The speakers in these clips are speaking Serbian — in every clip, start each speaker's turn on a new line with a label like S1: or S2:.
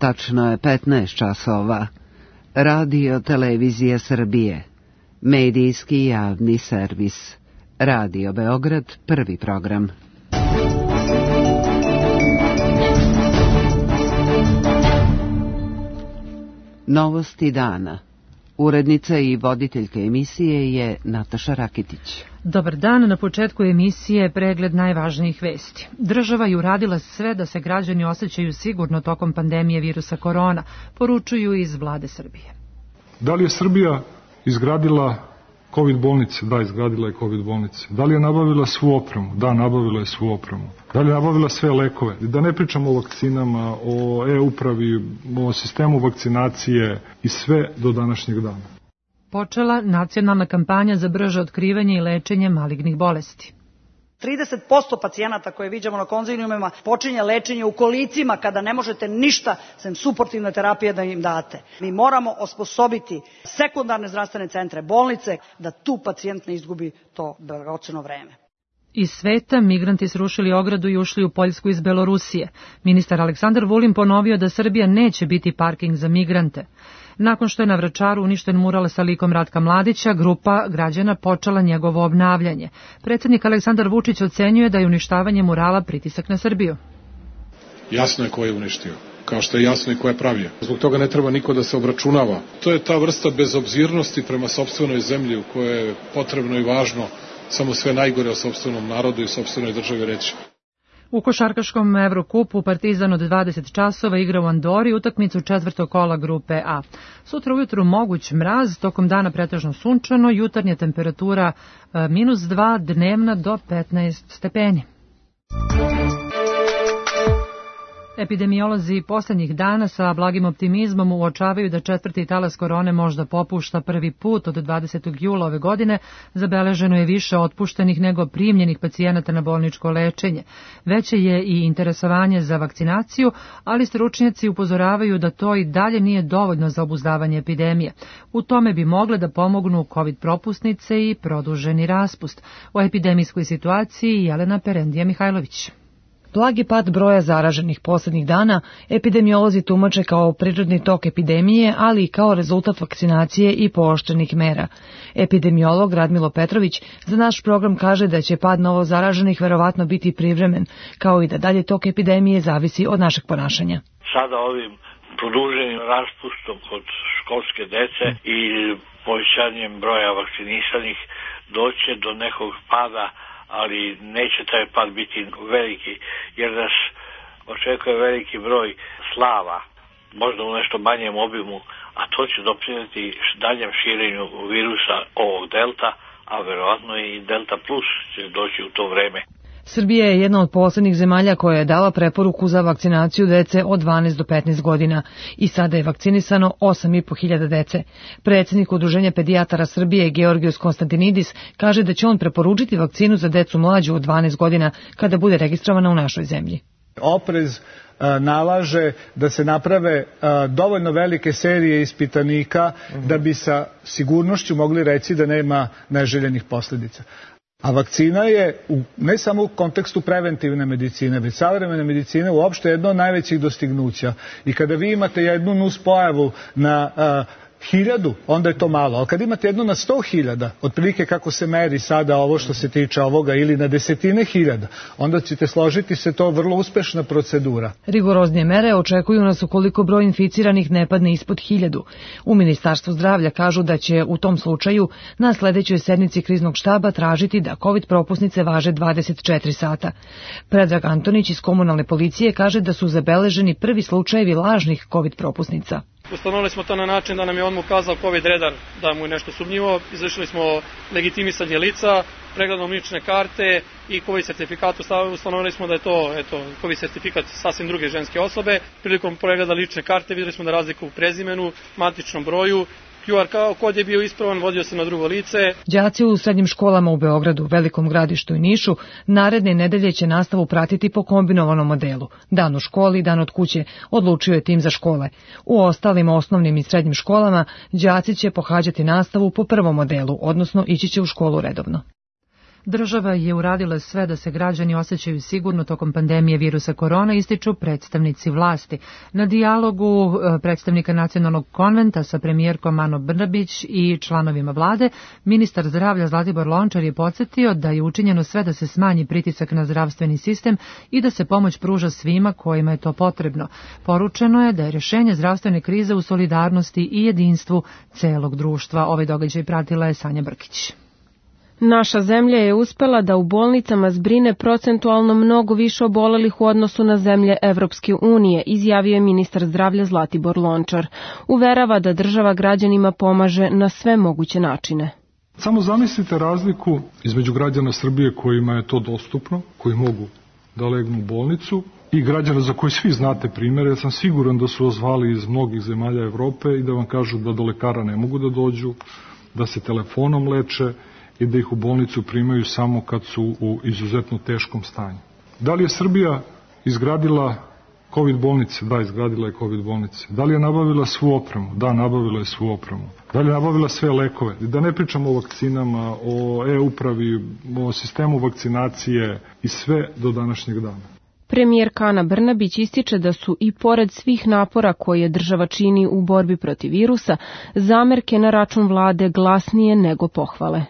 S1: Tačno je 15 časova. Radio Televizija Srbije. Medijski javni servis. Radio Beograd, prvi program. Novosti dana. Urednica i voditeljka emisije je Nataša Rakitić.
S2: Dobar dan, na početku emisije pregled najvažnijih vesti. Država je uradila sve da se građani osjećaju sigurno tokom pandemije virusa korona, poručuju iz vlade Srbije.
S3: Da li je Srbija izgradila COVID bolnice? Da, izgradila je COVID bolnice. Da li je nabavila svu opremu? Da, nabavila je svu opremu. Da li je nabavila sve lekove? Da ne pričamo o vakcinama, o e-upravi, o sistemu vakcinacije i sve do današnjeg dana.
S2: Počela nacionalna kampanja za brže otkrivanje i lečenje malignih bolesti.
S4: 30% pacijenata koje viđamo na konziliumima počinje lečenje u kolicima kada ne možete ništa sem suportivne terapije da im date. Mi moramo osposobiti sekundarne zdravstvene centre, bolnice, da tu pacijent ne izgubi to dragoceno vreme.
S2: Iz sveta migranti srušili ogradu i ušli u Poljsku iz Belorusije. Ministar Aleksandar Vulin ponovio da Srbija neće biti parking za migrante. Nakon što je na Vračaru uništen mural sa likom Ratka Mladića, grupa građana počela njegovo obnavljanje. Predsjednik Aleksandar Vučić ocenjuje da je uništavanje murala pritisak na Srbiju.
S5: Jasno je ko je uništio, kao što je jasno i ko je pravio. Zbog toga ne treba niko da se obračunava. To je ta vrsta bezobzirnosti prema sopstvenoj zemlji u kojoj je potrebno i važno samo sve najgore o sopstvenom narodu i sopstvenoj državi reći.
S2: U košarkaškom Evrokupu Partizan od 20 časova igra u Andori utakmicu četvrtog kola grupe A. Sutra ujutru moguć mraz, tokom dana pretežno sunčano, jutarnja temperatura -2, dnevna do 15 stepeni. Epidemiolozi poslednjih dana sa blagim optimizmom uočavaju da četvrti talas korone možda popušta prvi put od 20. jula ove godine. Zabeleženo je više otpuštenih nego primljenih pacijenata na bolničko lečenje. Veće je i interesovanje za vakcinaciju, ali stručnjaci upozoravaju da to i dalje nije dovoljno za obuzdavanje epidemije. U tome bi mogle da pomognu COVID propusnice i produženi raspust. O epidemijskoj situaciji Jelena Perendija-Mihajlović.
S6: Blagi pad broja zaraženih poslednjih dana epidemiolozi tumače kao prirodni tok epidemije, ali i kao rezultat vakcinacije i pooštrenih mera. Epidemiolog Radmilo Petrović za naš program kaže da će pad novo zaraženih verovatno biti privremen, kao i da dalje tok epidemije zavisi od našeg ponašanja.
S7: Sada ovim produženim raspustom kod školske dece i povećanjem broja vakcinisanih doće do nekog pada, ali neće taj pad biti veliki, jer nas očekuje veliki broj slava, možda u nešto manjem obimu, a to će doprineti daljem širenju virusa ovog delta, a verovatno i delta plus će doći u to vreme.
S6: Srbija je jedna od poslednjih zemalja koja je dala preporuku za vakcinaciju dece od 12 do 15 godina i sada je vakcinisano 8.500 dece. Predsjednik Udruženja pedijatara Srbije Georgijos Konstantinidis kaže da će on preporučiti vakcinu za decu mlađu od 12 godina kada bude registrovana u našoj zemlji.
S8: Oprez nalaže da se naprave dovoljno velike serije ispitanika da bi sa sigurnošću mogli reći da nema neželjenih posljedica. A vakcina je ne samo u kontekstu preventivne medicine, već savremene medicine uopšte jedno od najvećih dostignuća. I kada vi imate jednu nuspojavu na 1000, onda je to malo. Ali kad imate jednu na 100.000, otprilike kako se meri sada ovo što se tiče ovoga, ili na desetine hiljada, onda ćete složiti se to vrlo uspešna procedura.
S6: Rigoroznije mere očekuju nas ukoliko broj inficiranih ne padne ispod 1000. U Ministarstvu zdravlja kažu da će u tom slučaju na sledećoj sednici kriznog štaba tražiti da COVID propusnice važe 24 sata. Predrag Antonić iz komunalne policije kaže da su zabeleženi prvi slučajevi lažnih COVID propusnica.
S9: Ustanovili smo to na način da nam je on ukazao COVID redar da mu je nešto sumnjivo, izvršili smo legitimisanje lica, pregledom lične karte i COVID sertifikat, ustanovili smo da je to COVID sertifikat sasvim druge ženske osobe. Prilikom pregleda lične karte vidjeli smo da razliku u prezimenu, matičnom broju, QR kod je bio ispravan, vodio se na drugo lice.
S6: Đaci u srednjim školama u Beogradu, Velikom Gradištu i Nišu naredne nedelje će nastavu pratiti po kombinovanom modelu. Dan u školi, dan od kuće, odlučio je tim za škole. U ostalim osnovnim i srednjim školama đaci će pohađati nastavu po prvom modelu, odnosno ići će u školu redovno.
S2: Država je uradila sve da se građani osjećaju sigurno tokom pandemije virusa korona, ističu predstavnici vlasti. Na dijalogu predstavnika Nacionalnog konventa sa premijerkom Anom Brnabić i članovima vlade, ministar zdravlja Zlatibor Lončar je podsjetio da je učinjeno sve da se smanji pritisak na zdravstveni sistem i da se pomoć pruža svima kojima je to potrebno. Poručeno je da je rješenje zdravstvene krize u solidarnosti i jedinstvu celog društva. Ovaj događaj pratila je Sanja Brkić.
S10: Naša zemlja je uspela da u bolnicama zbrine procentualno mnogo više obolelih u odnosu na zemlje Evropske unije, izjavio je ministar zdravlja Zlatibor Lončar. Uverava da država građanima pomaže na sve moguće načine.
S3: Samo zamislite razliku između građana Srbije kojima je to dostupno, koji mogu da legnu u bolnicu, i građana za koje svi znate primere. Ja sam siguran da su vas zvali iz mnogih zemalja Evrope i da vam kažu da do lekara ne mogu da dođu, da se telefonom leče i da ih u bolnicu primaju samo kad su u izuzetno teškom stanju. Da li je Srbija izgradila COVID bolnice? Da, izgradila je COVID bolnice. Da li je nabavila svu opremu? Da, nabavila je svu opremu. Da li je nabavila sve lekove? Da ne pričamo o vakcinama, o e-upravi, o sistemu vakcinacije i sve do današnjeg dana.
S10: Premijerka Ana Brnabić ističe da su i pored svih napora koje država čini u borbi protiv virusa, zamerke na račun vlade glasnije nego pohvale.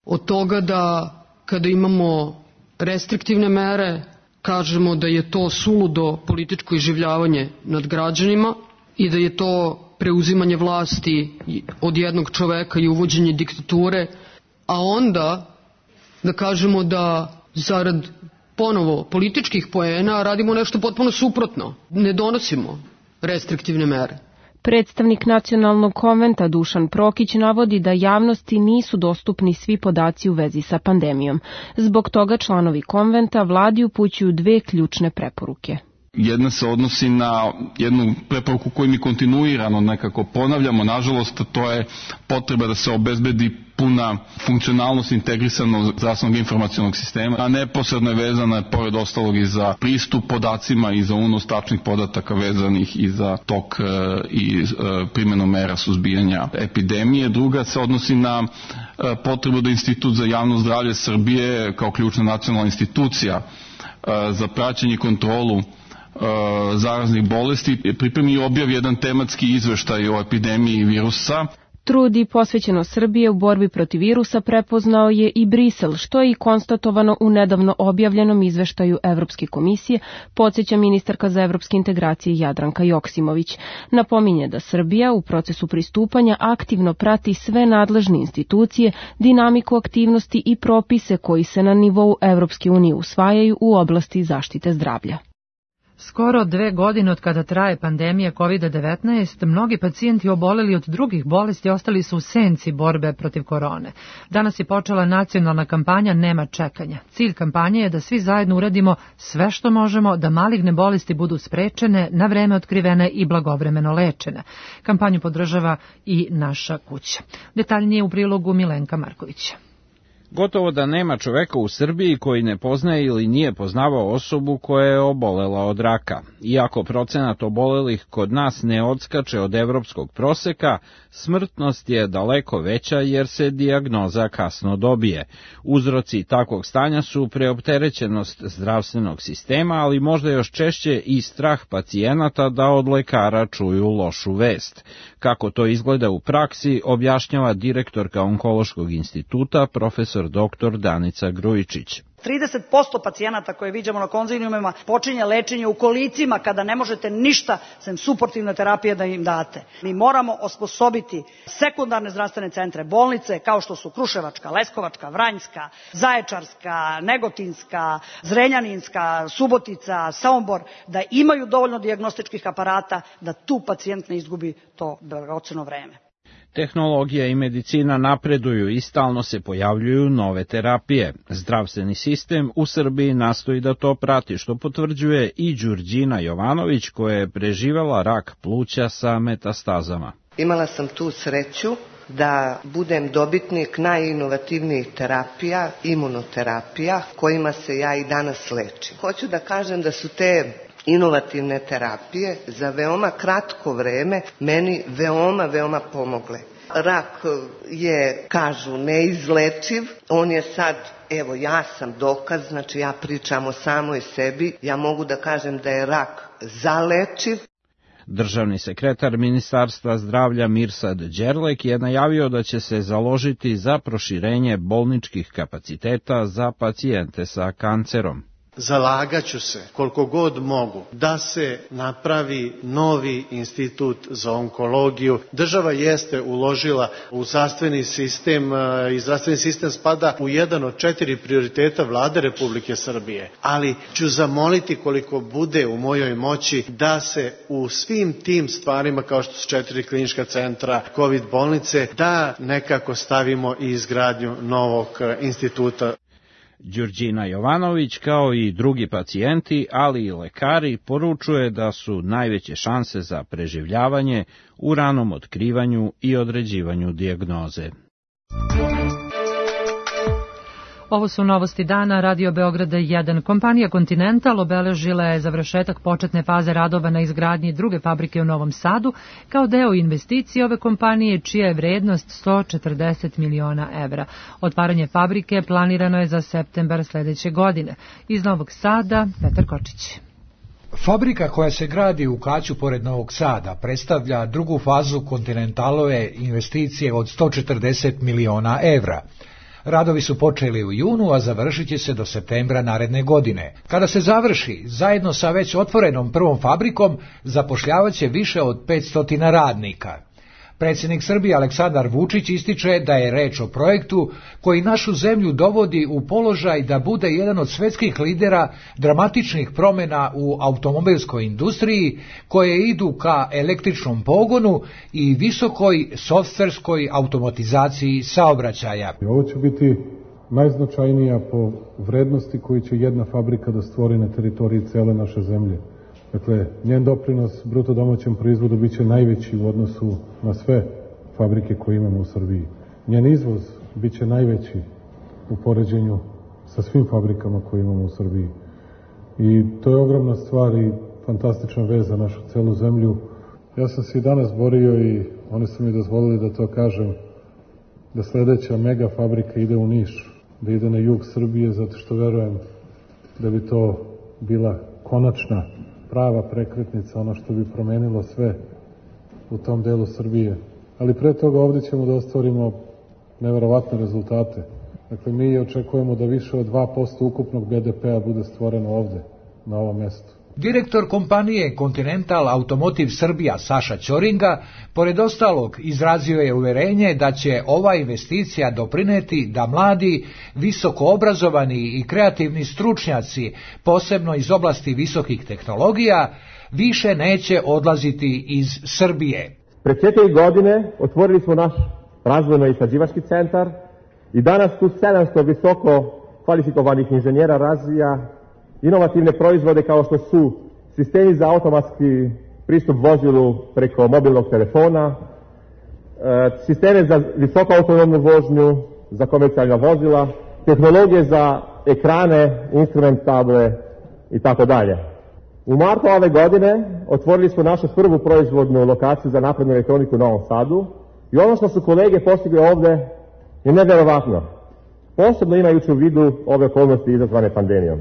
S11: Od toga da kada imamo restriktivne mere, kažemo da je to suludo političko iživljavanje nad građanima i da je to preuzimanje vlasti od jednog čoveka i uvođenje diktature, a onda da kažemo da zarad ponovo političkih poena radimo nešto potpuno suprotno. Ne donosimo restriktivne mere.
S10: Predstavnik Nacionalnog konventa Dušan Prokić navodi da javnosti nisu dostupni svi podaci u vezi sa pandemijom. Zbog toga članovi konventa vladi upućuju dve ključne preporuke.
S12: Jedna se odnosi na jednu preporuku koju mi kontinuirano nekako ponavljamo. Nažalost, to je potreba da se obezbedi puna funkcionalnost integrisanog zdravstvenog informacionog sistema, a neposredno je vezana, pored ostalog, i za pristup podacima i za unos tačnih podataka vezanih i za tok i primjenu mera suzbijanja epidemije. Druga se odnosi na potrebu da Institut za javno zdravlje Srbije kao ključna nacionalna institucija za praćenje i kontrolu zaraznih bolesti pripremi i objavi jedan tematski izveštaj o epidemiji virusa.
S10: Trud i posvećenost Srbije u borbi protiv virusa prepoznao je i Brisel, što je i konstatovano u nedavno objavljenom izveštaju Evropske komisije, podsjeća ministarka za evropske integracije Jadranka Joksimović. Napominje da Srbija u procesu pristupanja aktivno prati sve nadležne institucije, dinamiku aktivnosti i propise koji se na nivou Evropske unije usvajaju u oblasti zaštite zdravlja.
S2: Skoro 2 godine od kada traje pandemija COVID-19, mnogi pacijenti oboleli od drugih bolesti ostali su u senci borbe protiv korone. Danas je počela nacionalna kampanja Nema čekanja. Cilj kampanje je da svi zajedno uradimo sve što možemo da maligne bolesti budu sprečene, na vreme otkrivene i blagovremeno lečene. Kampanju podržava i Naša kuća. Detaljnije u prilogu Milenka Markovića.
S13: Gotovo da nema čoveka u Srbiji koji ne poznaje ili nije poznavao osobu koja je obolela od raka. Iako procenat obolelih kod nas ne odskače od evropskog proseka, smrtnost je daleko veća jer se dijagnoza kasno dobije. Uzroci takvog stanja su preopterećenost zdravstvenog sistema, ali možda još češće i strah pacijenata da od lekara čuju lošu vest. Kako to izgleda u praksi, objašnjava direktorka Onkološkog instituta, profesor dr. Danica Grujičić.
S4: 30% pacijenata koje viđamo na konziliumima počinje lečenje u kolicima kada ne možete ništa sem suportivne terapije da im date. Mi moramo osposobiti sekundarne zdravstvene centre, bolnice kao što su Kruševačka, Leskovačka, Vranjska, Zaječarska, Negotinska, Zrenjaninska, Subotica, Sombor, da imaju dovoljno dijagnostičkih aparata da tu pacijent ne izgubi to dragoceno vreme.
S13: Tehnologija i medicina napreduju i stalno se pojavljuju nove terapije. Zdravstveni sistem u Srbiji nastoji da to prati, što potvrđuje i Đurđina Jovanović, koja je preživela rak pluća sa metastazama.
S14: Imala sam tu sreću da budem dobitnik najinovativnijih terapija, imunoterapija, kojima se ja i danas lečim. Hoću da kažem da su te inovativne terapije za veoma kratko vreme meni veoma pomogle. Rak je, kažu, neizlečiv, on je sad, evo ja sam dokaz, znači ja pričam o samoj sebi, ja mogu da kažem da je rak zalečiv.
S13: Državni sekretar Ministarstva zdravlja Mirsad Đerlek je najavio da će se založiti za proširenje bolničkih kapaciteta za pacijente sa kancerom.
S15: Zalagaću se koliko god mogu da se napravi novi institut za onkologiju. Država jeste uložila u zdravstveni sistem i zdravstveni sistem spada u jedan od 4 prioriteta Vlade Republike Srbije. Ali ću zamoliti koliko bude u mojoj moći da se u svim tim stvarima kao što su 4 klinička centra, COVID bolnice, da nekako stavimo i izgradnju novog instituta.
S13: Đurđina Jovanović, kao i drugi pacijenti, ali i lekari, poručuje da su najveće šanse za preživljavanje u ranom otkrivanju i određivanju dijagnoze.
S2: Ovo su novosti dana Radio Beograda 1. Kompanija Continental obeležila je završetak početne faze radova na izgradnji druge fabrike u Novom Sadu kao deo investicije ove kompanije čija je vrednost 140 miliona evra. Otvaranje fabrike planirano je za septembar sledeće godine. Iz Novog Sada, Petar Kočić.
S16: Fabrika koja se gradi u Kaću pored Novog Sada predstavlja drugu fazu Continentalove investicije od 140 miliona evra. Radovi su počeli u junu, a završit će se do septembra naredne godine. Kada se završi, zajedno sa već otvorenom prvom fabrikom, zapošljavaće više od 500 radnika. Predsjednik Srbije Aleksandar Vučić ističe da je reč o projektu koji našu zemlju dovodi u položaj da bude jedan od svetskih lidera dramatičnih promjena u automobilskoj industriji koje idu ka električnom pogonu i visokoj softverskoj automatizaciji saobraćaja.
S3: Ovo će biti najznačajnija po vrednosti koju će jedna fabrika da stvori na teritoriji cele naše zemlje. Dakle, njen doprinos bruto domaćem proizvodu biće najveći u odnosu na sve fabrike koje imamo u Srbiji. Njen izvoz biće najveći u poređenju sa svim fabrikama koje imamo u Srbiji. I to je ogromna stvar i fantastična vez za našu celu zemlju. Ja sam se i danas borio i oni su mi dozvolili da to kažem, da sledeća mega fabrika ide u Niš, da ide na jug Srbije, zato što verujem da bi to bila konačna prava prekretnica, ono što bi promenilo sve u tom delu Srbije. Ali pre toga ovdje ćemo da ostvarimo neverovatne rezultate. Dakle, mi očekujemo da više od 2% ukupnog BDP-a bude stvoreno ovdje, na ovom mjestu.
S16: Direktor kompanije Continental Automotive Srbija Saša Ćoringa, pored ostalog, izrazio je uverenje da će ova investicija doprineti da mladi, visoko obrazovani i kreativni stručnjaci, posebno iz oblasti visokih tehnologija, više neće odlaziti iz Srbije.
S17: Pre 4 godine otvorili smo naš razvojno-istraživački centar i danas tu 700 visoko kvalifikovanih inženjera razvija inovativne proizvode kao što su sistemi za automatski pristup vozilu preko mobilnog telefona, sisteme za visoko autonomnu vožnju, za komercijalna vozila, tehnologije za ekrane, instrumentable i tako dalje. U martu ove godine otvorili smo našu prvu proizvodnu lokaciju za naprednu elektroniku u Novom Sadu i ono što su kolege postigli ovde je neverovatno, posebno imajući u vidu ove okolnosti izazvane pandemijom.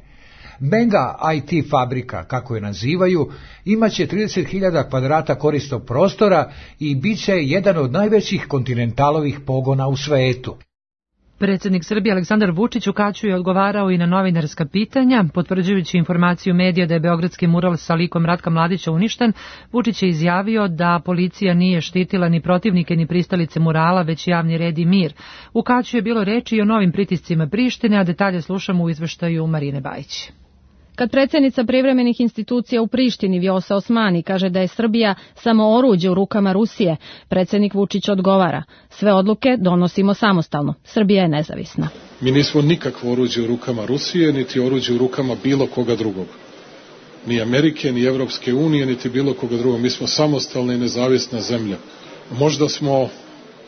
S16: Mega IT fabrika, kako je nazivaju, imaće 30.000 kvadrata korisnog prostora i bit će jedan od najvećih Continentalovih pogona u svetu.
S2: Predsjednik Srbije Aleksandar Vučić u Kaću je odgovarao i na novinarska pitanja, potvrđujući informaciju medija da je beogradski mural sa likom Ratka Mladića uništen. Vučić je izjavio da policija nije štitila ni protivnike ni pristalice murala, već javni red i mir. U Kaću je bilo reči i o novim pritiscima Prištine, a detalje slušamo u izveštaju Marine Bajić.
S10: Kad predsjednica privremenih institucija u Prištini Vjosa Osmani kaže da je Srbija samo oruđe u rukama Rusije, predsjednik Vučić odgovara: sve odluke donosimo samostalno, Srbija je nezavisna.
S5: Mi nismo nikakvo oruđe u rukama Rusije, niti oruđe u rukama bilo koga drugog. Ni Amerike, ni Evropske unije, niti bilo koga drugog. Mi smo samostalna i nezavisna zemlja. Možda smo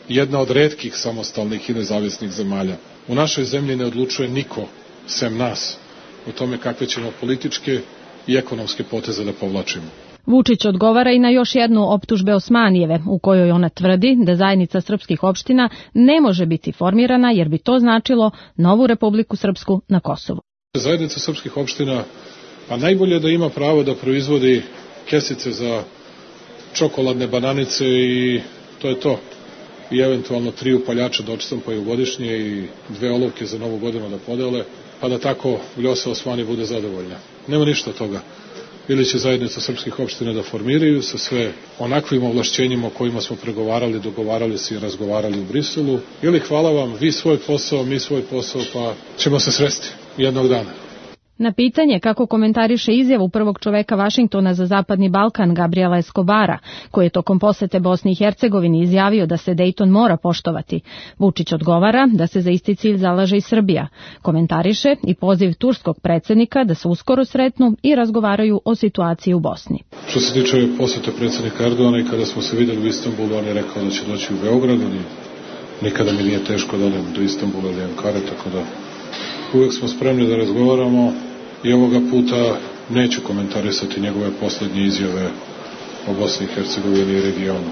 S5: jedna od retkih samostalnih i nezavisnih zemalja. U našoj zemlji ne odlučuje niko sem nas o tome kakve ćemo političke i ekonomske poteze da povlačimo.
S10: Vučić odgovara i na još jednu optužbe Osmanijeve, u kojoj ona tvrdi da zajednica srpskih opština ne može biti formirana jer bi to značilo novu Republiku Srpsku na Kosovu.
S5: Zajednica srpskih opština, pa najbolje da ima pravo da proizvodi kesice za čokoladne bananice i to je to. I eventualno 3 upaljača da odštampaju godišnje i 2 olovke za novu godinu da podele, pa da tako Vljosa Osmani bude zadovoljna. Nema ništa od toga. Ili će zajednica srpskih opština da formiraju sa sve onakvim ovlašćenjima o kojima smo pregovarali, dogovarali se i razgovarali u Briselu, ili hvala vam, vi svoj posao, mi svoj posao, pa ćemo se sresti jednog dana.
S10: Na pitanje kako komentariše izjavu prvog čoveka Vašingtona za Zapadni Balkan Gabriela Escobara, koji je tokom posete Bosni i Hercegovini izjavio da se Dejton mora poštovati, Vučić odgovara da se za isti cilj zalaže i Srbija. Komentariše i poziv turskog predsjednika da se uskoro sretnu i razgovaraju o situaciji u Bosni.
S5: Što se tiče posete predsjednika Erdogana i kada smo se videli u Istanbulu, on je rekao da će doći u Beograd, nikada mi nije teško da odem do Istanbula ili Ankare, tako da uvek smo spremni da razgovaramo i ovoga puta neću komentarisati njegove posljednje izjave o Bosni i Hercegovini i regionu.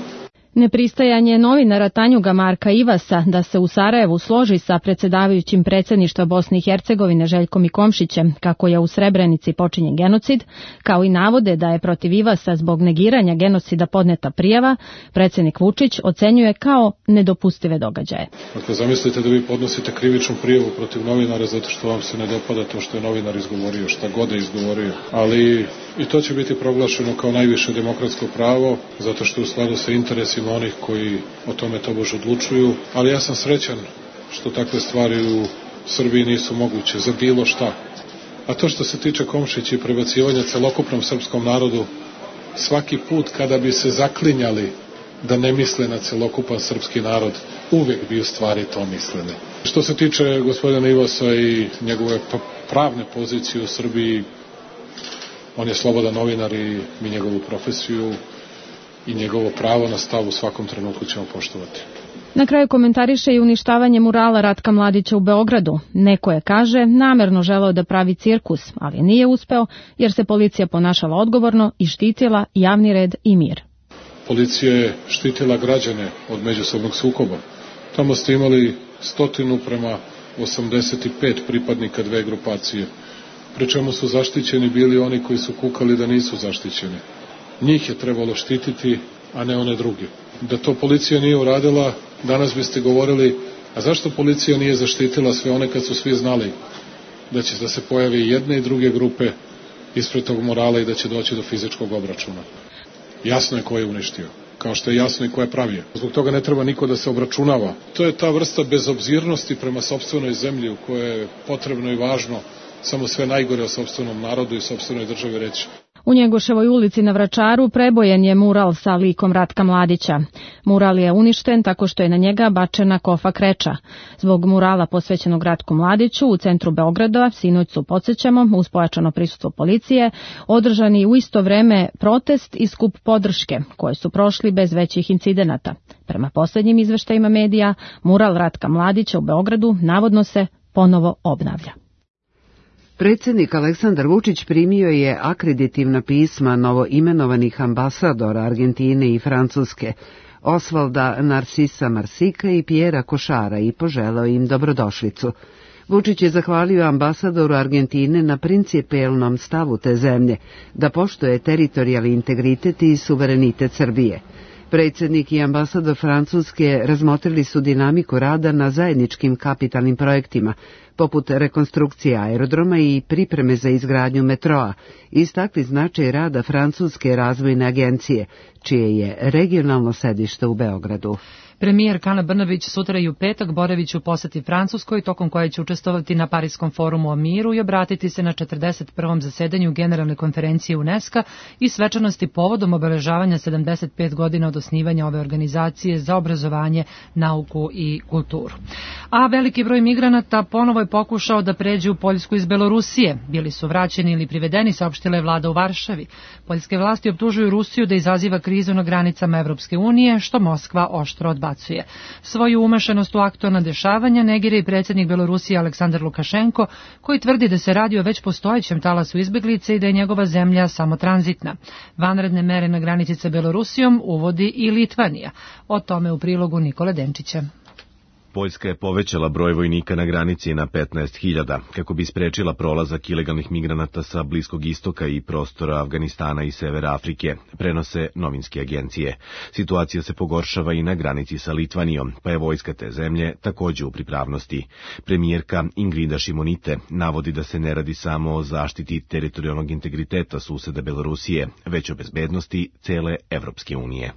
S10: Nepristajanje novinara Tanjuga Marka Ivasa da se u Sarajevu složi sa predsjedavajućim predsjedništva Bosne i Hercegovine Željkom Komšićem kako je u Srebrenici počinjen genocid, kao i navode da je protiv Ivasa zbog negiranja genocida podneta prijava, predsjednik Vučić ocenjuje kao nedopustive događaje.
S5: Dakle, zamislite da vi podnosite krivičnu prijavu protiv novinara zato što vam se ne dopada to što je novinar izgovorio, šta god je izgovorio, ali i to će biti proglašeno kao najviše demokratsko pravo, zato što u skladu sa interesima onih koji o tome tobož odlučuju, ali ja sam srećan što takve stvari u Srbiji nisu moguće za bilo šta. A to što se tiče Komšića i prebacivanja celokupnom srpskom narodu, svaki put kada bi se zaklinjali da ne misle na celokupan srpski narod, uvek bi u stvari to mislili. Što se tiče gospodina Ivasa i njegove pravne pozicije u Srbiji, on je slobodan novinar i mi njegovu profesiju i njegovo pravo na stav u svakom trenutku ćemo poštovati.
S10: Na kraju komentariše i uništavanje murala Ratka Mladića u Beogradu. Neko je, kaže, namerno želeo da pravi cirkus, ali nije uspeo jer se policija ponašala odgovorno i štitila javni red i mir.
S5: Policija je štitila građane od međusobnog sukoba. Tamo ste imali 100 prema 85 pripadnika dve grupacije, pri čemu su zaštićeni bili oni koji su kukali da nisu zaštićeni. Njih je trebalo štititi, a ne one druge. Da to policija nije uradila, danas biste govorili, a zašto policija nije zaštitila sve one kad su svi znali da će da se pojave i jedne i druge grupe ispred tog morala i da će doći do fizičkog obračuna. Jasno je ko je uništio, kao što je jasno i ko je pravio. Zbog toga ne treba niko da se obračunava. To je ta vrsta bezobzirnosti prema sopstvenoj zemlji u kojoj je potrebno i važno samo sve najgore o sopstvenom narodu i sopstvenoj državi reći.
S10: U Njegoševoj ulici na Vračaru prebojen je mural sa likom Ratka Mladića. Mural je uništen tako što je na njega bačena kofa kreča. Zbog murala posvećenog Ratku Mladiću u centru Beograda, sinoć su, podsjećamo, uz pojačano prisustvo policije, održani u isto vreme protest i skup podrške, koje su prošli bez većih incidenata. Prema posljednjim izveštajima medija, mural Ratka Mladića u Beogradu navodno se ponovo obnavlja.
S1: Predsjednik Aleksandar Vučić primio je akreditivna pisma novoimenovanih ambasadora Argentine i Francuske, Osvalda Narsisa Marsika i Pjera Košara i poželeo im dobrodošlicu. Vučić je zahvalio ambasadoru Argentine na principijelnom stavu te zemlje, da poštuje teritorijalni integritet i suverenitet Srbije. Predsjednik i ambasador Francuske razmotrili su dinamiku rada na zajedničkim kapitalnim projektima, poput rekonstrukcije aerodroma i pripreme za izgradnju metroa, istakli značaj rada Francuske razvojne agencije, čije je regionalno sedište u Beogradu.
S2: Premijer Ana Brnabić sutra i u petak boravić u poseti Francuskoj, tokom koje će učestvovati na Parijskom forumu o miru i obratiti se na 41. zasedanju Generalne konferencije UNESCO i svečanosti povodom obeležavanja 75 godina od osnivanja ove organizacije za obrazovanje, nauku i kulturu. A veliki broj migranata ponovo je pokušao da pređe u Poljsku iz Belorusije. Bili su vraćeni ili privedeni, saopštila je vlada u Varšavi. Poljske vlasti optužuju Rusiju da izaziva krizu na granicama Evropske unije, što Moskva oštro odbacuje. razbacuje. Svoju umešanost u aktualna dešavanja negira i predsjednik Belorusije Aleksandar Lukašenko, koji tvrdi da se radi o već postojećem talasu izbeglice i da je njegova zemlja samo tranzitna. Vanredne mere na granici sa Belorusijom uvodi i Litvanija. O tome u prilogu Nikole Denčića.
S18: Poljska je povećala broj vojnika na granici na 15.000 kako bi sprečila prolazak ilegalnih migranata sa Bliskog istoka i prostora Afganistana i Severa Afrike, prenose novinske agencije. Situacija se pogoršava i na granici sa Litvanijom, pa je vojska te zemlje takođe u pripravnosti. Premijerka Ingrida Šimonite navodi da se ne radi samo o zaštiti teritorijalnog integriteta suseda Belorusije, već o bezbednosti cele Evropske unije.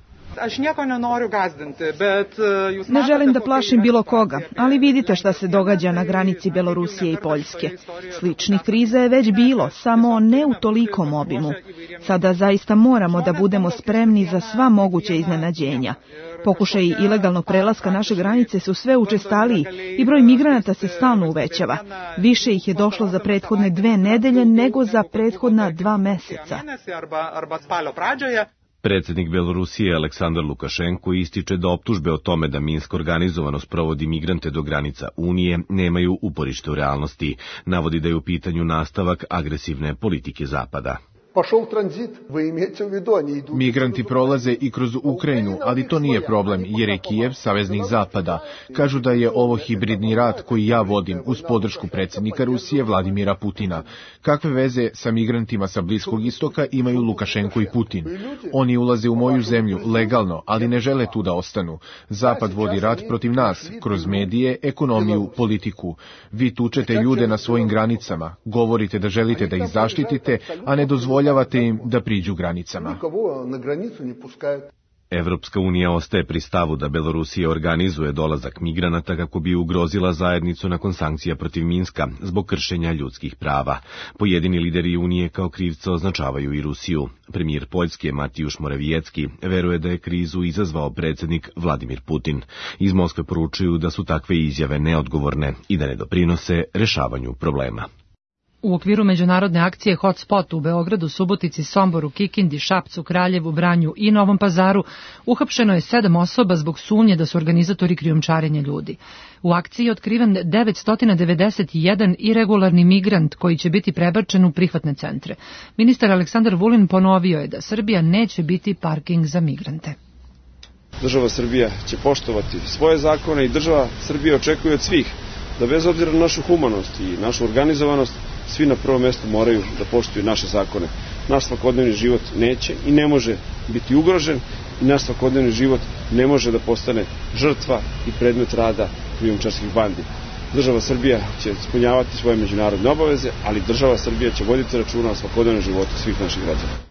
S19: Ne želim da plašim bilo koga, ali vidite šta se događa na granici Belorusije i Poljske. Sličnih kriza je već bilo, samo ne u tolikom obimu. Sada zaista moramo da budemo spremni za sva moguća iznenađenja. Pokušaji ilegalnog prelaska naše granice su sve učestaliji i broj migranata se stalno uvećava. Više ih je došlo za prethodne 2 nedelje nego za prethodna 2 meseca.
S18: Predsjednik Belorusije Aleksandar Lukašenko ističe da optužbe o tome da Minsk organizovano sprovodi migrante do granica Unije nemaju uporište u realnosti. Navodi da je u pitanju nastavak agresivne politike Zapada.
S20: Migranti prolaze i kroz Ukrajinu, ali to nije problem, jer je Kijev saveznik Zapada. Kažu da je ovo hibridni rat koji ja vodim uz podršku predsjednika Rusije Vladimira Putina. Kakve veze sa migrantima sa Bliskog istoka imaju Lukašenko i Putin? Oni ulaze u moju zemlju legalno, ali ne žele tu da ostanu. Zapad vodi rat protiv nas, kroz medije, ekonomiju, politiku. Vi tučete ljude na svojim granicama, govorite da želite da ih zaštitite, a ne dozvoljavate im da priđu granicama.
S18: Evropska unija ostaje pri stavu da Belorusija organizuje dolazak migranata kako bi ugrozila zajednicu nakon sankcija protiv Minska zbog kršenja ljudskih prava. Pojedini lideri unije kao krivca označavaju i Rusiju. Premijer Poljske Matijuš Morawiecki veruje da je krizu izazvao predsjednik Vladimir Putin. Iz Moskve poručuju da su takve izjave neodgovorne i da ne doprinose rešavanju problema.
S2: U okviru međunarodne akcije Hotspot u Beogradu, Subotici, Somboru, Kikindi, Šapcu, Kraljevu, Vranju i Novom Pazaru uhapšeno je 7 osoba zbog sumnje da su organizatori krijumčarenja ljudi. U akciji je otkriven 991 iregularni migrant koji će biti prebačen u prihvatne centre. Ministar Aleksandar Vulin ponovio je da Srbija neće biti parking za migrante.
S21: Država Srbija će poštovati svoje zakone i država Srbija očekuje od svih da bez obzira na našu humanost i našu organizovanost, svi na prvom mjestu moraju da poštuju naše zakone. Naš svakodnevni život neće i ne može biti ugrožen i naš svakodnevni život ne može da postane žrtva i predmet rada krijumčarskih bandi. Država Srbija će ispunjavati svoje međunarodne obaveze, ali država Srbija će voditi računa o svakodnevnom životu svih naših građana.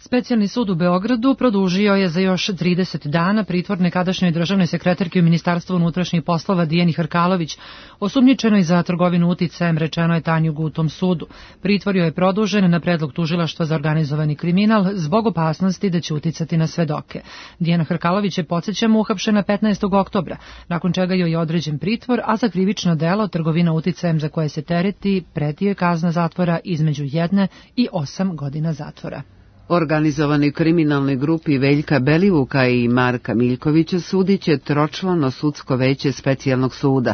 S2: Specijalni sud u Beogradu produžio je za još 30 dana pritvor nekadašnjoj državnoj sekretarki u Ministarstvu unutrašnjih poslova Dijani Hrkalović, osumnjičenoj za trgovinu uticajem, rečeno je Tanju Gutom sudu. Pritvor joj je produžen na predlog tužilaštva za organizovani kriminal zbog opasnosti da će uticati na svedoke. Dijana Hrkalović je, podsjećamo, uhapšena 15. oktobra, nakon čega joj je određen pritvor, a za krivično delo trgovina uticajem za koje se tereti preti joj kazna zatvora između 1 i 8 godina zatvora.
S1: Organizovanoj kriminalnoj grupi Veljka Belivuka i Marka Miljkovića sudit će tročlano sudsko veće specijalnog suda,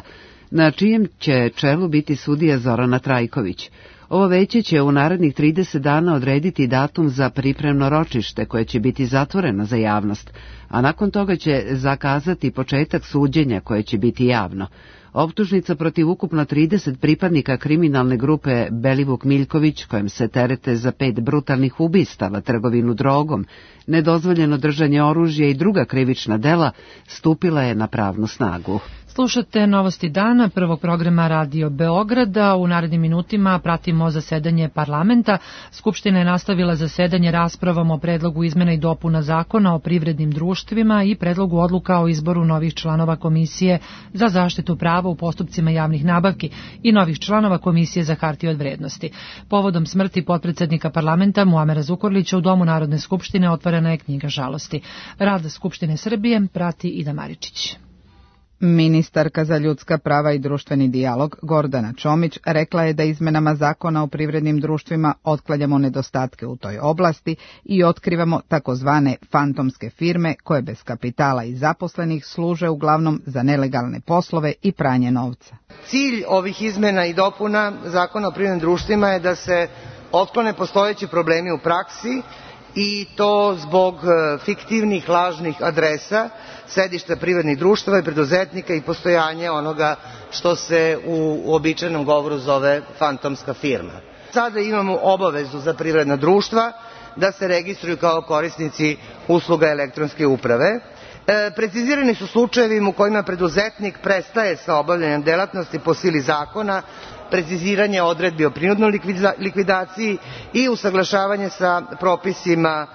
S1: na čijem će čelu biti sudija Zorana Trajković. Ovo veće će u narednih 30 dana odrediti datum za pripremno ročište koje će biti zatvoreno za javnost, a nakon toga će zakazati početak suđenja koje će biti javno. Optužnica protiv ukupno 30 pripadnika kriminalne grupe Belivuk Miljković, kojem se terete za 5 brutalnih ubistava, trgovinu drogom, nedozvoljeno držanje oružja i druga krivična dela, stupila je na pravnu snagu.
S2: Slušate novosti dana prvog programa Radio Beograda. U narednim minutima pratimo zasedanje parlamenta. Skupština je nastavila zasedanje raspravom o predlogu izmena i dopuna zakona o privrednim društvima i predlogu odluka o izboru novih članova Komisije za zaštitu prava u postupcima javnih nabavki i novih članova Komisije za hartije od vrednosti. Povodom smrti potpredsednika parlamenta Muamera Zukorlića u Domu Narodne skupštine otvorena je knjiga žalosti. Rad Skupštine Srbije prati Ida Maričić.
S7: Ministarka za ljudska prava i društveni dijalog Gordana Čomić rekla je da izmenama zakona o privrednim društvima otklanjamo nedostatke u toj oblasti i otkrivamo takozvane fantomske firme koje bez kapitala i zaposlenih služe uglavnom za nelegalne poslove i pranje novca.
S22: Cilj ovih izmena i dopuna zakona o privrednim društvima je da se otklone postojeći problemi u praksi i to zbog fiktivnih lažnih adresa, sedišta privrednih društava i preduzetnika i postojanje onoga što se u uobičajenom govoru zove fantomska firma. Sada imamo obavezu za privredna društva da se registruju kao korisnici usluga elektronske uprave. Precizirani su slučajevi u kojima preduzetnik prestaje sa obavljanjem delatnosti po sili zakona, preciziranje odredbi o prinudnoj likvidaciji i usaglašavanje sa propisima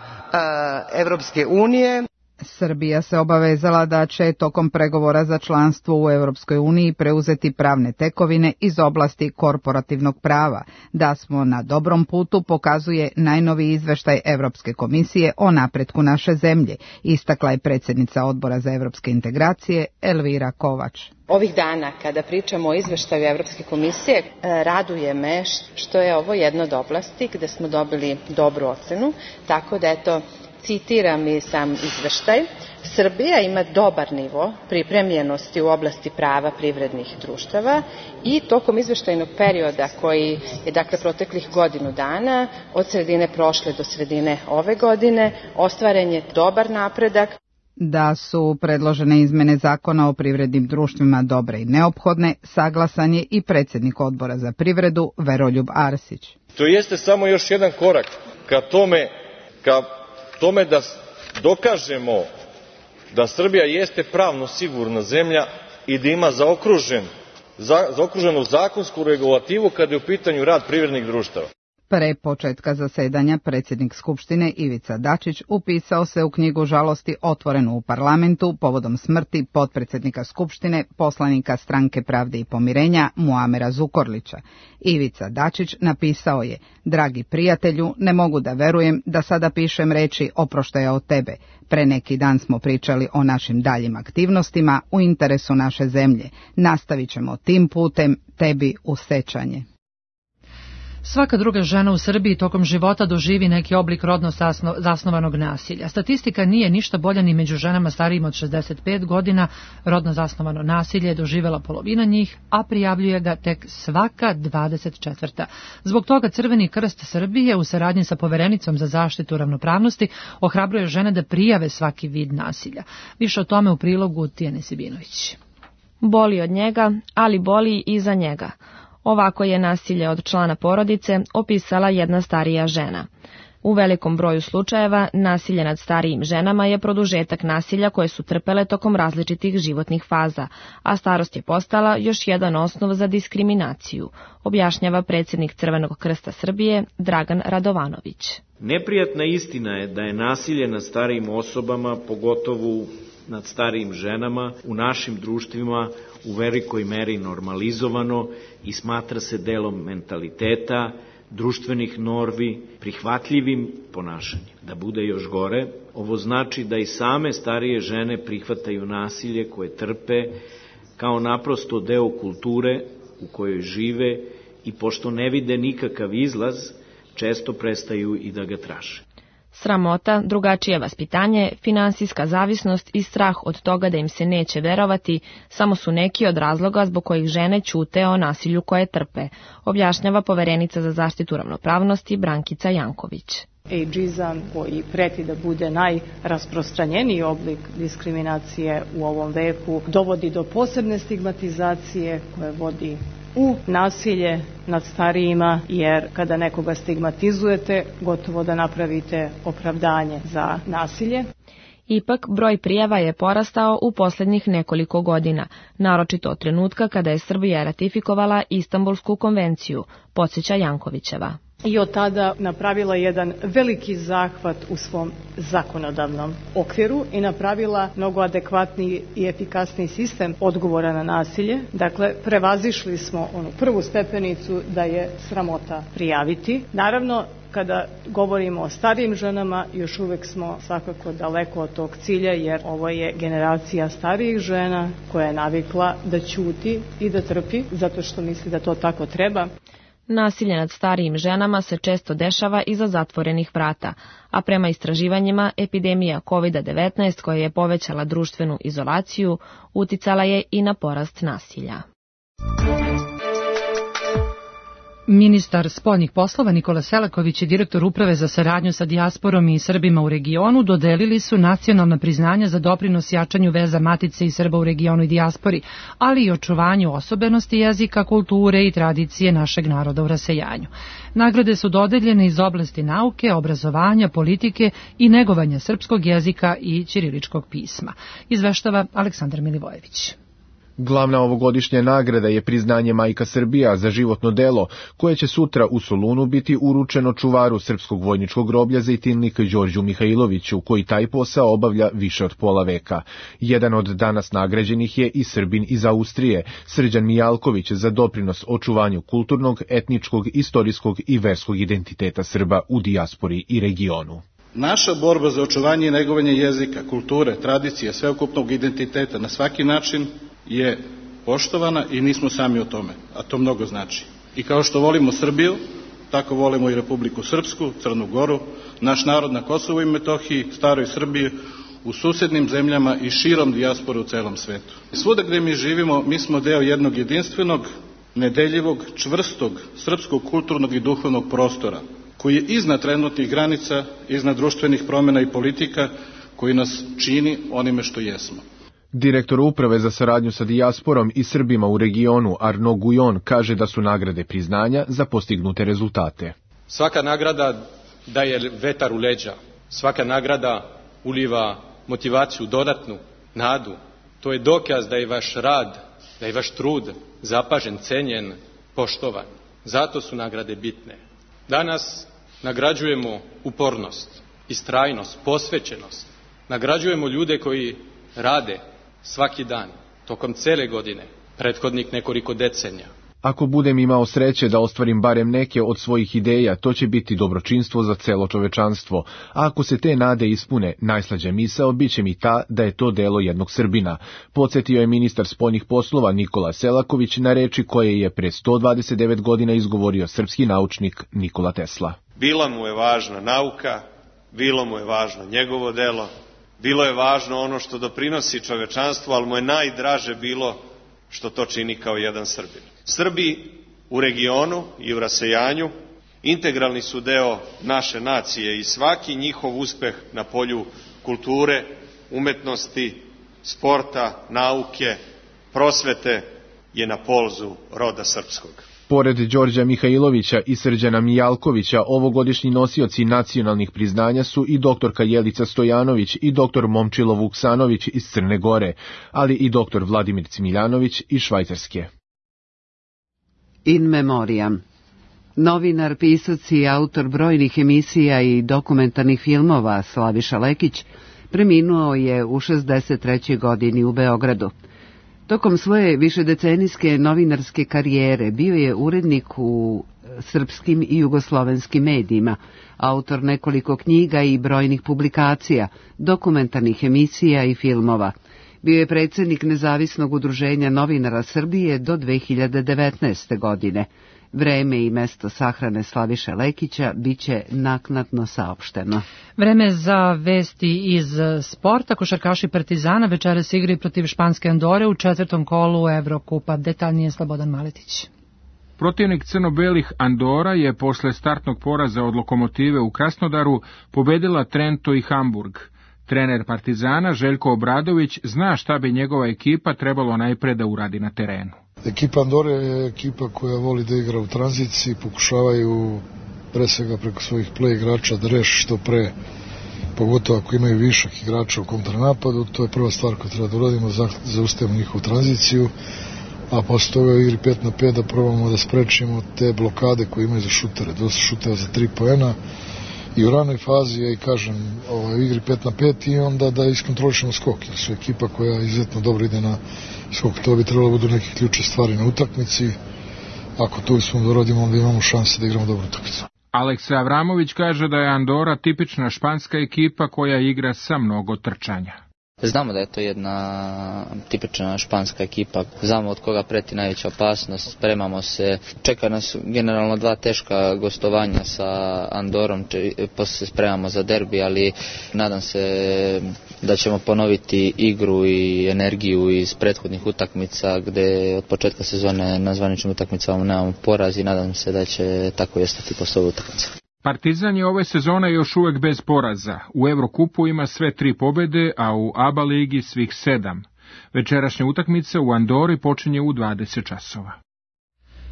S22: Evropske unije.
S7: Srbija se obavezala da će tokom pregovora za članstvo u Evropskoj uniji preuzeti pravne tekovine iz oblasti korporativnog prava. Da smo na dobrom putu pokazuje najnoviji izveštaj Evropske komisije o napretku naše zemlje, istakla je predsjednica Odbora za evropske integracije Elvira Kovač.
S23: Ovih dana kada pričamo o izveštaju Evropske komisije, raduje me što je ovo jedna od oblasti gde smo dobili dobru ocenu, tako da eto, citiram i sam izveštaj, Srbija ima dobar nivo pripremljenosti u oblasti prava privrednih društava i tokom izveštajnog perioda koji je dakle proteklih godinu dana, od sredine prošle do sredine ove godine, ostvaren je dobar napredak.
S7: Da su predložene izmene zakona o privrednim društvima dobre i neophodne, saglasan je i predsjednik Odbora za privredu Veroljub Arsić.
S24: To jeste samo još jedan korak ka tome da dokažemo da Srbija jeste pravno sigurna zemlja i da ima zaokruženu zakonsku regulativu kada je u pitanju rad privrednih društava.
S7: Pre početka zasedanja predsjednik Skupštine Ivica Dačić upisao se u knjigu žalosti otvorenu u parlamentu povodom smrti potpredsjednika Skupštine, poslanika Stranke pravde i pomirenja Muamera Zukorlića. Ivica Dačić napisao je: "Dragi prijatelju, ne mogu da verujem da sada pišem reči oproštaja od tebe. Pre neki dan smo pričali o našim daljim aktivnostima u interesu naše zemlje. Nastavit ćemo tim putem, tebi u sećanje."
S2: Svaka druga žena u Srbiji tokom života doživi neki oblik rodno zasnovanog nasilja. Statistika nije ništa bolja ni među ženama starijim od 65 godina. Rodno zasnovano nasilje je doživela polovina njih, a prijavljuje ga tek svaka 24. Zbog toga Crveni krst Srbije u saradnji sa Poverenicom za zaštitu ravnopravnosti ohrabruje žene da prijave svaki vid nasilja. Više o tome u prilogu Tijane Sibinović.
S10: Boli od njega, ali boli i za njega. Ovako je nasilje od člana porodice opisala jedna starija žena. U velikom broju slučajeva nasilje nad starijim ženama je produžetak nasilja koje su trpele tokom različitih životnih faza, a starost je postala još jedan osnov za diskriminaciju, objašnjava predsjednik Crvenog krsta Srbije Dragan Radovanović.
S25: Neprijatna istina je da je nasilje nad starijim osobama, pogotovo nad starijim ženama, u našim društvima u velikoj meri normalizovano i smatra se delom mentaliteta, društvenih normi, prihvatljivim ponašanjem. Da bude još gore, ovo znači da i same starije žene prihvataju nasilje koje trpe kao naprosto deo kulture u kojoj žive i pošto ne vide nikakav izlaz, često prestaju i da ga traže.
S10: Sramota, drugačije vaspitanje, finansijska zavisnost i strah od toga da im se neće verovati samo su neki od razloga zbog kojih žene ćute o nasilju koje trpe, objašnjava Poverenica za zaštitu ravnopravnosti Brankica Janković.
S26: Ageizam koji preti da bude najrasprostranjeniji oblik diskriminacije u ovom veku dovodi do posebne stigmatizacije koje vodi u nasilje nad starijima, jer kada nekoga stigmatizujete, gotovo da napravite opravdanje za nasilje.
S10: Ipak, broj prijava je porastao u posljednjih nekoliko godina, naročito od trenutka kada je Srbija ratifikovala Istanbulsku konvenciju, podsjeća Jankovićeva.
S26: I od tada napravila jedan veliki zahvat u svom zakonodavnom okviru i napravila mnogo adekvatniji i efikasniji sistem odgovora na nasilje. Dakle, prevazišli smo onu prvu stepenicu da je sramota prijaviti. Naravno, Kada govorimo o starijim ženama, još uvek smo svakako daleko od tog cilja, jer ovo je generacija starijih žena koja je navikla da ćuti i da trpi, zato što misli da to tako treba.
S4: Nasilje nad starijim ženama se često dešava iza zatvorenih vrata, a prema istraživanjima epidemija COVID-19 koja je povećala društvenu izolaciju uticala je i na porast nasilja.
S2: Ministar spoljnih poslova Nikola Selaković i direktor Uprave za saradnju sa dijasporom i Srbima u regionu dodelili su nacionalna priznanja za doprinos jačanju veza Matice i Srba u regionu i dijaspori, ali i očuvanju osobenosti jezika, kulture i tradicije našeg naroda u rasejanju. Nagrade su dodeljene iz oblasti nauke, obrazovanja, politike i negovanja srpskog jezika i ćiriličkog pisma. Izveštava Aleksandar Milivojević.
S20: Glavna ovogodišnja nagrada je priznanje Majka Srbija za životno delo, koje će sutra u Solunu biti uručeno čuvaru Srpskog vojničkog groblja Zejtinlik Đorđu Mihajloviću, koji taj posao obavlja više od pola veka. Jedan od danas nagrađenih je i Srbin iz Austrije, Srđan Mijalković, za doprinos očuvanju kulturnog, etničkog, istorijskog i verskog identiteta Srba u dijaspori i regionu.
S6: Naša borba za očuvanje i negovanje jezika, kulture, tradicije, sveukupnog identiteta na svaki način je poštovana i nismo sami o tome, a to mnogo znači. I kao što volimo Srbiju, tako volimo i Republiku Srpsku, Crnu Goru, naš narod na Kosovu i Metohiji, staroj Srbiji, u susednim zemljama i širom dijaspore u celom svetu. Svuda gde mi živimo, mi smo deo jednog jedinstvenog, nedeljivog, čvrstog, srpskog kulturnog i duhovnog prostora, koji je iznad trenutnih granica, iznad društvenih promjena i politika, koji nas čini onime što jesmo.
S20: Direktor Uprave za saradnju sa dijasporom i Srbima u regionu Arno Gujon kaže da su nagrade priznanja za postignute rezultate.
S8: Svaka nagrada daje vetar u leđa, svaka nagrada uliva motivaciju, dodatnu nadu. To je dokaz da je vaš rad, da je vaš trud zapažen, cenjen, poštovan. Zato su nagrade bitne. Danas nagrađujemo upornost, istrajnost, posvećenost. Nagrađujemo ljude koji rade svaki dan, tokom cele godine, prethodnih nekoliko decenija.
S20: Ako budem imao sreće da ostvarim barem neke od svojih ideja, to će biti dobročinstvo za celo čovečanstvo, a ako se te nade ispune, najslađa misao biće mi ta da je to delo jednog Srbina, podsjetio je ministar spoljnih poslova Nikola Selaković na reči koje je pre 129 godina izgovorio srpski naučnik Nikola Tesla.
S9: Bila mu je važna nauka, bilo mu je važno njegovo delo, bilo je važno ono što doprinosi čovečanstvu, ali mu je najdraže bilo što to čini kao jedan Srbin. Srbi u regionu i u rasejanju integralni su deo naše nacije i svaki njihov uspeh na polju kulture, umetnosti, sporta, nauke, prosvete je na polzu roda srpskog.
S20: Pored Đorđa Mihajlovića i Srđana Mijalkovića, ovogodišnji nosioci nacionalnih priznanja su i doktorka Jelica Stojanović i doktor Momčilo Vuksanović iz Crne Gore, ali i doktor Vladimir Cimiljanović iz Švajcarske.
S1: In memoriam. Novinar, pisac i autor brojnih emisija i dokumentarnih filmova Slaviša Lekić preminuo je u 63. godini u Beogradu. Tokom svoje višedecenijske novinarske karijere bio je urednik u srpskim i jugoslovenskim medijima, autor nekoliko knjiga i brojnih publikacija, dokumentarnih emisija i filmova. Bio je predsjednik Nezavisnog udruženja novinara Srbije do 2019. godine. Vreme i mesto sahrane Slaviše Lekića biće naknadno saopšteno.
S2: Vreme za vesti iz sporta. Košarkaši Partizana večeras igraju protiv španske Andore u 4. kolu Evrokupa. Detaljnije Slobodan Maletić.
S11: Protivnik crno-belih Andora je posle startnog poraza od Lokomotive u Krasnodaru pobedila Trento i Hamburg. Trener Partizana Željko Obradović zna šta bi njegova ekipa trebalo najpre da uradi na terenu.
S12: Ekipa Andore je ekipa koja voli da igra u tranziciji, pokušavaju pre svega preko svojih play igrača da reši što pre, pogotovo ako imaju višak igrača u kontranapadu. To je prva stvar koju treba da uradimo, zaustavimo njihovu tranziciju, a posle toga u igri 5 na 5 da probamo da sprečimo te blokade koje imaju za šutere, dosta šuteva za 3 poena i u ranoj fazi, ja i kažem, u igri 5 na 5 i onda da iskontrolišemo skok, jer su ekipa koja izuzetno dobro ide na skok. To bi trebalo budu neke ključne stvari na utakmici. Ako to uspemo da uradimo, onda imamo šanse da igramo dobru utakmicu.
S11: Aleksa Avramović kaže da je Andora tipična španska ekipa koja igra sa mnogo trčanja.
S3: Znamo da je to jedna tipična španska ekipa, znamo od koga preti najveća opasnost, spremamo se, čeka nas generalno 2 teška gostovanja sa Andorom, posle se spremamo za derbi, ali nadam se da ćemo ponoviti igru i energiju iz prethodnih utakmica, gde od početka sezone na zvaničnim utakmicama nemamo poraz i nadam se da će tako i ostati posle ove utakmice.
S11: Partizan je ove sezone još uvek bez poraza. U Evrokupu ima sve 3 pobede, a u ABA ligi svih 7. Večerašnja utakmica u Andori počinje u 20 časova.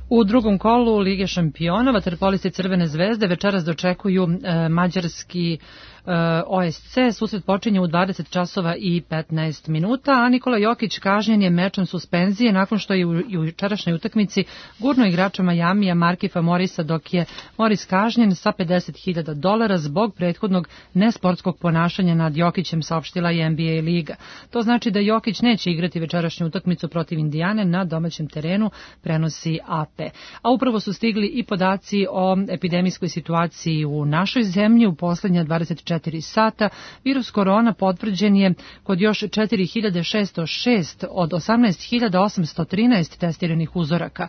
S2: U drugom kolu Lige šampiona vaterpolisti Crvene zvezde večeras dočekuju mađarski OSC. Susret počinje u 20 časova i 15 minuta, a Nikola Jokić kažnjen je mečem suspenzije nakon što je u jučerašnjoj utakmici gurno igrača Majamija Markifa Morisa, dok je Moris kažnjen sa $50.000 zbog prethodnog nesportskog ponašanja nad Jokićem, saopštila je NBA liga. To znači da Jokić neće igrati večerašnju utakmicu protiv Indijane na domaćem terenu, prenosi AP. A upravo su stigli i podaci o epidemijskoj situaciji u našoj zemlji. U poslednja 24 sata virus korona potvrđen je kod još 4.606 od 18.813 testiranih uzoraka.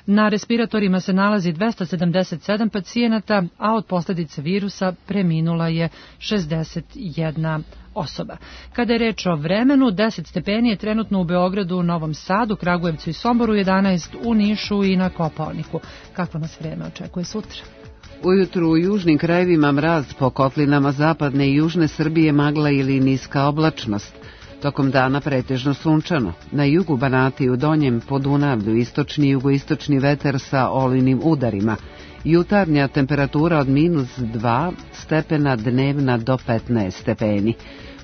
S2: Na respiratorima se nalazi 277 pacijenata, a od posljedice virusa preminula je 61 osoba. Kada je reč o vremenu, 10 stepeni je trenutno u Beogradu, Novom Sadu, Kragujevcu i Somboru, 11 u Nišu i na Kopaoniku. Kakvo nas vreme očekuje sutra?
S1: Ujutru u južnim krajevima mraz, po kotlinama zapadne i južne Srbije magla ili niska oblačnost. Tokom dana pretežno sunčano. Na jugu Banata i u Donjem Podunavlju istočni i jugoistočni vetar sa olujnim udarima. Jutarnja temperatura od -2 stepena, dnevna do 15 stepeni.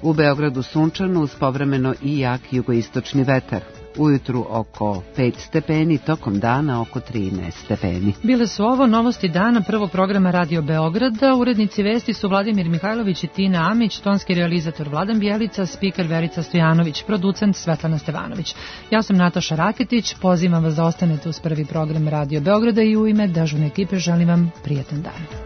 S1: U Beogradu sunčano uz povremeno i jak jugoistočni vetar. Ujutru oko 5 stepeni, tokom dana oko 13 stepeni.
S2: Bile su ovo novosti dana prvog programa Radio Beograda. Urednici vesti su Vladimir Mihajlović i Tina Amić, tonski realizator Vladan Bjelica, spiker Verica Stojanović, producent Svetlana Stevanović. Ja sam Nataša Raketić, pozivam vas da ostanete uz prvi program Radio Beograda i u ime dežurne ekipe želim vam prijetan dan.